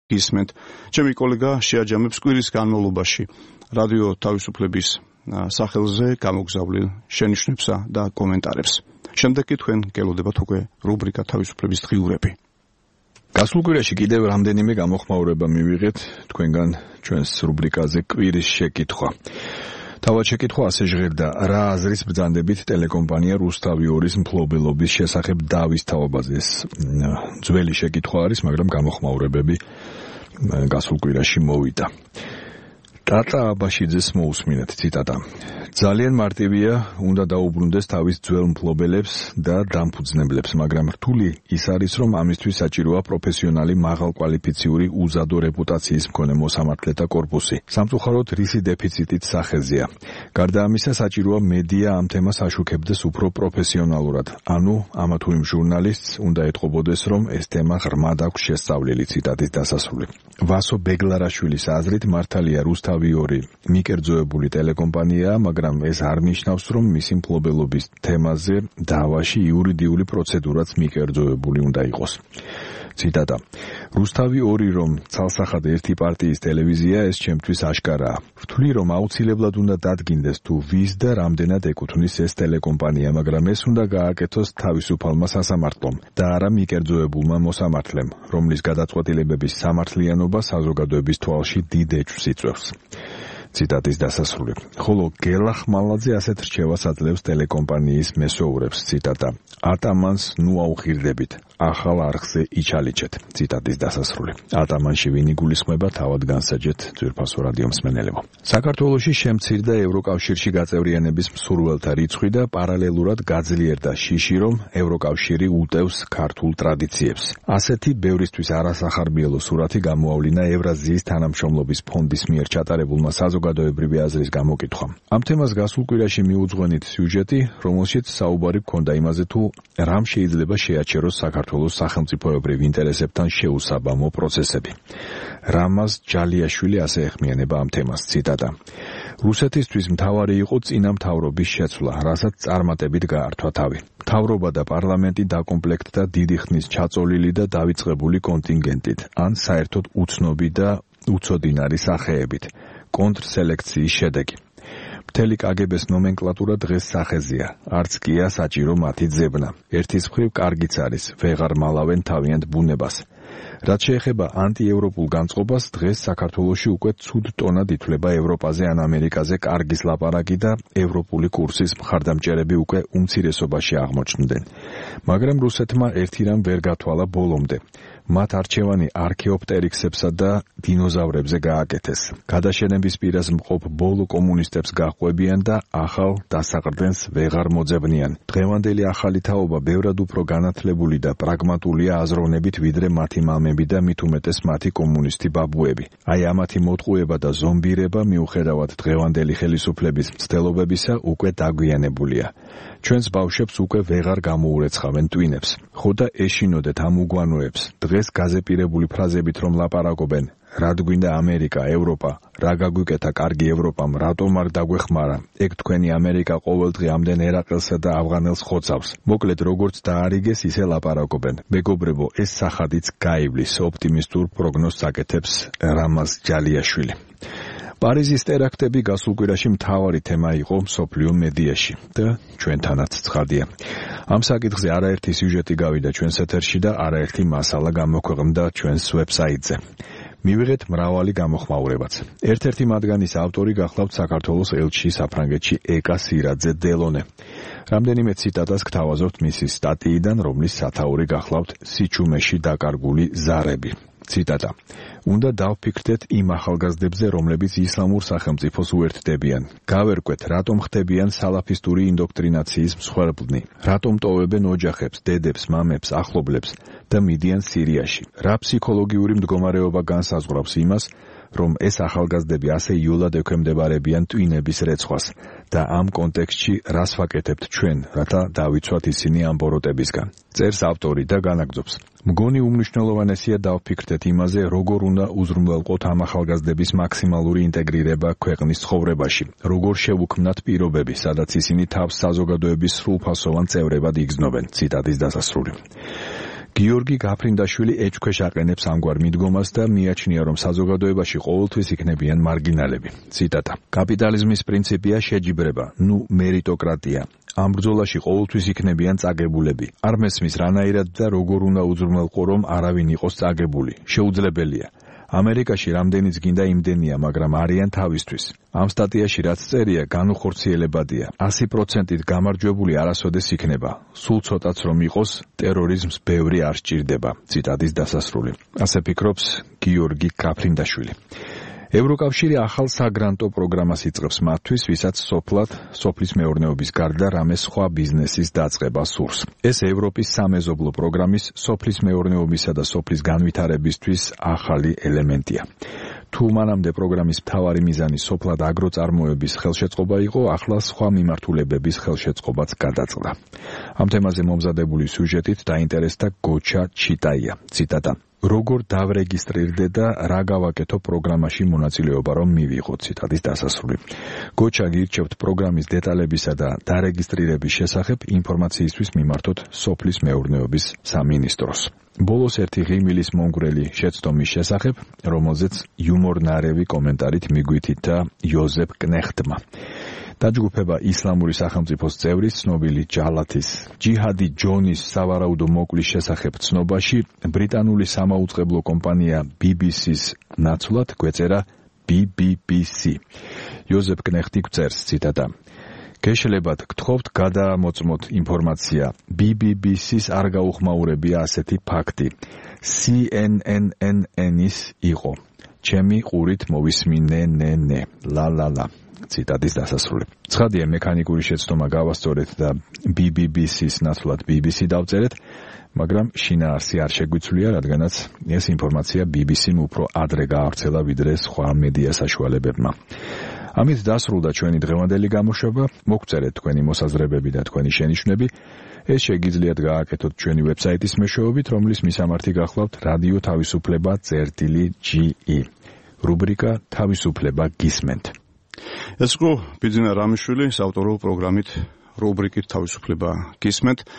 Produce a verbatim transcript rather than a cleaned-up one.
ისმენთ. ჩემი კოლეგა შეაჯამებს კვირის განმავლობაში რადიო თავისუფლების სახელზე გამოგზავნილ შენიშვნებსა და კომენტარებს. შემდეგ კი თქვენ გელოდებათ უკვე რუბრიკა თავისუფლების დღიურები. გასულ კვირაში კიდევ რამდენიმე გამოხმაურება მივიღეთ თქვენგან ჩვენს რუბრიკაზე კვირის შეკითხვა. თავად შეკითხვა ასე ჟღერდა: რა აზრის ბრძანდებით ტელეკომპანია რუსთავი ორის მფლობელობის შესახებ დავის თაობაზე? ეს ძველი შეკითხვა არის, მაგრამ გამოხმაურებები გასულ კვირაში მოვიდა. ტატა აბაშიძეს მოусმინეთ ციტატა: ძალიან მარტივია, უნდა დაუბრუნდეს თავის ძველ მფლობელებს და დამფუძნებლებს, მაგრამ რთული ის არის, რომ ამისთვის საჭიროა პროფესიონალი მაღალკვალიფიციური უზადო რეპუტაციის მქონე მოსამართლეთა კორპუსი. სამწუხაროდ რისი დეფიციტით სახეზეა. გარდა ამისა, საჭიროა მედია ამ თემას აშუქებდეს უფრო პროფესიონალურად. ანუ ამა თუ იმ ჟურნალისტს უნდა ეთყობოდეს, რომ ეს თემა ღრმად აქვს შესწავლილი. ციტატის დასასრული. ვასო ბეგლარაშვილის აზრით, მართალია რუსთავი ორი მიკერძოებული ტელეკომპანიაა, მაგრამ ეს არ ნიშნავს, რომ მისი მფლობელობის თემაზე დავაში იურიდიული პროცედურაც მიკერძოებული უნდა იყოს. ციტატა: რუსთავი ორი რომ ცალსახად ერთი პარტიის ტელევიზია, ეს ჩემთვის აშკარაა. ვთვლი, რომ აუცილებლად უნდა დადგინდეს თუ ვის და რამდენად ეკუთვნის ეს ტელეკომპანია, მაგრამ ეს უნდა გააკეთოს თავისუფალმა სასამართლომ და არა მიკერძოებულმა მოსამართლემ, რომლის გადაწყვეტილებების სამართლიანობა საზოგადოების თვალში დიდ ეჭვს იწვევს. ციტატის დასასრული. ხოლო გელა ხმალაძე ასეთ რჩევას აძლევს ტელეკომპანიის მესოურებს. ციტატა: ატამანს ნუ აუხირდებით, ახალ არხზე იჩალიჩეთ. ციტატის დასასრული. ატამანში ვინ იგულისხმება, თავად განსაჯეთ ძვირფასო რადიო მსმენელებო. საქართველოში შემცირდა ევროკავშირში გაწევრიანების მსურველთა რიცხვი და პარალელურად გაძლიერდა შიში, რომ ევროკავშირი უტევს ქართულ ტრადიციებს. ასეთი ბევრისთვის არასახარბიელო სურათი გამოავლინა ევრაზიის თანამშრომლობის ფონდის მიერ ჩატარებულმა საზოგადოებრივი აზრის გამოკითხვამ. ამ თემას გასულ კვირაში მიუძღვენით სიუჟეტი, რომელშიც საუბარი ჰქონდა იმაზე, თუ რამ შეიძლება შეაჩეროს საქართველოს სახელმწიფოებრივ ინტერესებთან შეუსაბამო პროცესები. რამაზ ჯალიაშვილი ასე ეხმიანება ამ თემას. ციტატა: რუსეთისთვის მთავარი იყო წინამთავრობის შეცვლა, რასაც წარმატებით გაართვა თავი. მთავრობა და პარლამენტი დაკომპლექტდა დიდი ხნის ჩაწოლილი და დავიწყებული კონტინგენტით, ან საერთოდ უცნობი და უცოდინარი სახეებით. კონტრსელექციის შედეგი. მთელი კაგებეს ნომენკლატურა დღეს სახეზეა, არც კია საჭირო მათი ძებნა. ერთის მხრივ კარგიც არის, ვეღარ მალავენ თავიანთ ბუნებას. რაც შეეხება ანტიევროპულ განწყობას, დღეს საქართველოში უკვე ცუდ ტონად ითვლება ევროპაზე ან ამერიკაზე კარგის ლაპარაკი და ევროპული კურსის მხარდამჭერები უკვე უმცირესობაში აღმოჩნდნენ. მაგრამ რუსეთმა ერთი რამ ვერ გათვალა ბოლომდე. მათ არჩევანი არქეოპტერიქსებსა და დინოზავრებზე გააკეთეს. გადაშენების პირას მყოფ ბოლო კომუნისტებს გაჰყვებიან და ახალ დასაყრდენს ვეღარ მოძებნიან. დღევანდელი ახალი თაობა ბევრად უფრო განათლებული და პრაგმატულია აზროვნებით, ვიდრე მათი მამები და მით უმეტეს მათი კომუნისტი ბაბუები. აი ამათი მოტყუება და ზომბირება მიუხედავად დღევანდელი ხელისუფლების მცდელობებისა უკვე დაგვიანებულია. ჩვენს ბავშვებს უკვე ვეღარ გამოურეცხავენ ტვინებს. ხო და ეშინოდეთ ამ უგვანოებს. დღეს გაზეპირებული ფრაზებით რომ ლაპარაკობენ, რად გვინდა ამერიკა, ევროპა, რა გაგვიკეთა კარგი ევროპამ, რატომ არ დაგვეხმარა, ეგ თქვენი ამერიკა ყოველდღე ამდენ ერაყელსა და ავღანელს ხოცავს. მოკლედ როგორც დაარიგეს, ისე ლაპარაკობენ. მეგობრებო, ეს სახადიც გაივლის, ოპტიმისტურ პროგნოზს აკეთებს რამაზ ჯალიაშვილი. პარიზის ტერაქტები გასულ კვირაში მთავარი თემა იყო მსოფლიო მედიაში და ჩვენთანაც ცხადია. ამ საკითხზე არაერთი სიუჟეტი გავიდა ჩვენს ეთერში და არაერთი მასალა გამოქვეყნდა ჩვენს ვებსაიტზე. მივიღეთ მრავალი გამოხმაურებაც. ერთ-ერთი მათგანის ავტორი გახლავთ საქართველოს ელჩი საფრანგეთში ეკა სირაძე დელონე. რამდენიმე ციტატას გთავაზობთ მისი სტატიიდან, რომლის სათაური გახლავთ სიჩუმეში დაკარგული ზარები. ციტატა: უნდა დავფიქრდეთ იმ ახალგაზრდებზე, რომლებიც ისლამურ სახელმწიფოს უერთდებიან. გავერკვეთ, რატომ ხდებიან სალაფისტური ინდოქტრინაციის მსხვერპლნი, რატომ ტოვებენ ოჯახებს, დედებს, მამებს, ახლობლებს და მიდიან სირიაში. რა ფსიქოლოგიური მდგომარეობა განსაზღვრავს იმას, რომ ეს ახალგაზრდები ასე იოლად ექვემდებარებიან ტვინების რეცხვას და ამ კონტექსტში რას ვაკეთებთ ჩვენ, რათა დავიცვათ ისინი ამ ბოროტებისგან. წერს ავტორი და განაგრძობს: მგონი უმნიშვნელოვანესია დავფიქრდეთ იმაზე, როგორ უნდა უზრუნველყოთ ამ ახალგაზრდების მაქსიმალური ინტეგრირება ქვეყნის ცხოვრებაში, როგორ შევუქმნათ პირობები, სადაც ისინი თავს საზოგადოების სრულფასოვან წევრებად იგრძნობენ. ციტატის დასასრული. გიორგი გაფრინდაშვილი ეჭქვეშ აყენებს ამგვარ მიდგომას და მიაჩნია, რომ საზოგადოებაში ყოველთვის იქნებიან მარგინალები. ციტატა: კაპიტალიზმის პრინციპია შეჯიბრება, ნუ მერიტოკრატია. ამ ბრძოლაში ყოველთვის იქნებიან წაგებულები. არ მესმის რანაირად და როგორ უნდა უზრუნველყო, რომ არავინ იყოს წაგებული. შეუძლებელია. ამერიკაში რამდენიც გინდა იმდენია, მაგრამ არიან თავისთვის. ამ სტატიაში რაც წერია, განუხორციელებადია. ასი პროცენტით გამარჯვებული არასოდეს იქნება. სულ ცოტაც რომ იყოს, ტერორიზმს ბევრი არ სჭირდება. ციტატის დასასრული. ასე ფიქრობს გიორგი გაფრინდაშვილი. ევროკავშირი ახალ საგრანტო პროგრამას იწყებს მათთვის, ვისაც სოფლად, სოფლის მეურნეობის გარდა რამე სხვა ბიზნესის დაწყება სურს. ეს ევროპის სამეზობლო პროგრამის სოფლის მეურნეობისა და სოფლის განვითარებისთვის ახალი ელემენტია. თუ მანამდე პროგრამის მთავარი მიზანი სოფლად აგროწარმოების ხელშეწყობა იყო, ახლა სხვა მიმართულებების ხელშეწყობაც გადაწყდა. ამ თემაზე მომზადებული სიუჟეტით დაინტერესდა გოჩა ჩიტაია. ციტატა: როგორ დავრეგისტრირდე და რა გავაკეთო პროგრამაში მონაწილეობა რომ მივიღო. ციტატის დასასრული. გოჩა გირჩევთ პროგრამის დეტალებისა და დარეგისტრირების შესახებ ინფორმაციისთვის მიმართოთ სოფლის მეურნეობის სამინისტროს. ბოლოს ერთი ღიმილის მომგვრელი შეცდომის შესახებ, რომელზეც იუმორნარევი კომენტარით მიგვითითა იოზეფ კნეხტმა. დაჯგუფება ისლამური სახელმწიფოს წევრის ცნობილი ჯალათის ჯიჰადი ჯონის სავარაუდო მოკლის შესახებ ცნობაში ბრიტანული სამაუწყებლო კომპანია ბი ბი სის ნაცვლად გვეწერა ბი ბი ბი სი. იოზეფ კნეხტი წერს, ციტატა: გეშლებათ გთხოვთ გადაამოწმოთ ინფორმაცია. ბი ბი ბი სის არ გაუხმაურებია ასეთი ფაქტი. სი ენ ენ ენ ენ-ის იყო. ჩემი ყურით მოვისმინენენე. ლა ლა ლა. ციტატის დასასრული. ცხადია, მექანიკური შეცდომა გავასწორეთ და ბი ბი ბი სის ნაცვლად ბი ბი სი დავწერეთ, მაგრამ შინაარსი არ შეგვიცვლია, რადგანაც ეს ინფორმაცია ბი ბი სიმ უფრო ადრე გაავრცელა ვიდრე სხვა მედია საშუალებებმა. ამით დასრულდა ჩვენი დღევანდელი გამოშვება. მოგწერეთ თქვენი მოსაზრებები და თქვენი შენიშვნები. ეს შეგიძლიათ გააკეთოთ ჩვენი ვებსაიტის მეშვეობით, რომლის მისამართი გახლავთ რადიო თავისუფლება წერტილი ჯი ი. რუბრიკა თავისუფლება გისმენთ. ეს იყო ბიძინა რამიშვილი საავტორო პროგრამით რუბრიკით თავისუფლება გისმენთ.